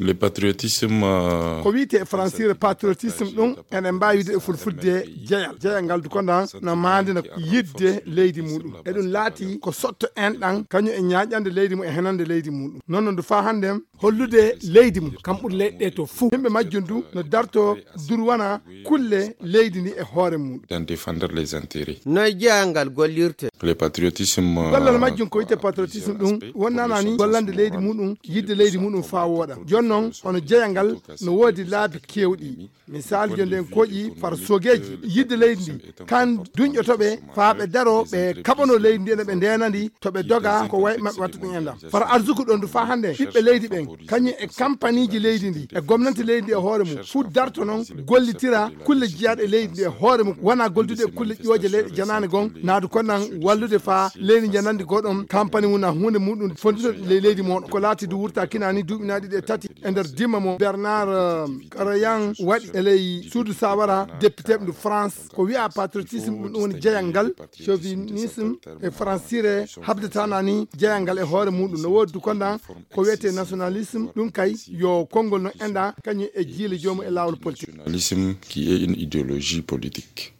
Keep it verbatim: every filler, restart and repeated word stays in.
Le patriotisme, euh, ko wiyte e fransire patriotisme ɗum, enen mbaawi wiide e fulfulde jeyal. Jeyal ngal du ko ndan no maandina yidde leydi muɗum. Eɗum laati ko sotto en ɗan, kañum e ñaaƴande leydi mum e henande leydi muɗum. Noon no ndu faa hannde hollude leydi mum, kam ɓuri leyɗe ɗe to fuu. Yimɓe majjum du no darto durwana kulle leydi ndi e hoore muɗum. D'en défendre les intérêts. Noy jeyangal gollirte? Le patriotisme, euh, gollal majjum ko wiyte patriotisme ɗum, wonnanani gollande leydi muɗum, yidde leydi muɗum faa wooɗa. Jooni noon, hono jeyangal no woodi laabi keewɗi. Misal, jooni en koƴi far sogeeji yidde leydi ndi, kan duñƴoto ɓe faa ɓe daro, ɓe kaɓano leydi ndi, ene ɓe ndeenandi, to ɓe doga, ko way maɓɓe watta ɗum enɗam. Far arsuku ɗon du faa hannde, ɓiɓɓe leydi ɓen, kañum e kampaniiji leydi ndi, e gomnanti leydi ndi e hoore mum, fuu darto noon, gollitira kulle jeyaaɗe e leydi ndi e hoore mum, wona gollude e kulle ƴooje leyɗe janaane gon, naadu kon nan wallude faa leydi njanandi goɗon kampani mum, na huunde muɗum fondito ley leydi mon. Ko laati du wurta kinani duuɓi na ɗiɗi e tati e nder dimma mo Bernard, euh, Karayan waɗi e ley suudu sawara député ndu France. Ko wi'a patriotisme, ɗum woni jeyal ngal, chauvinisme e fransire habdata na ni jeyal ngal e hoore muɗum. No woodi du kondan ko wiyete nationalisme, ɗum kay yo konngol no enɗa kañum e jiile joomum e laawol politique. Nationalisme qui est une idéologie politique.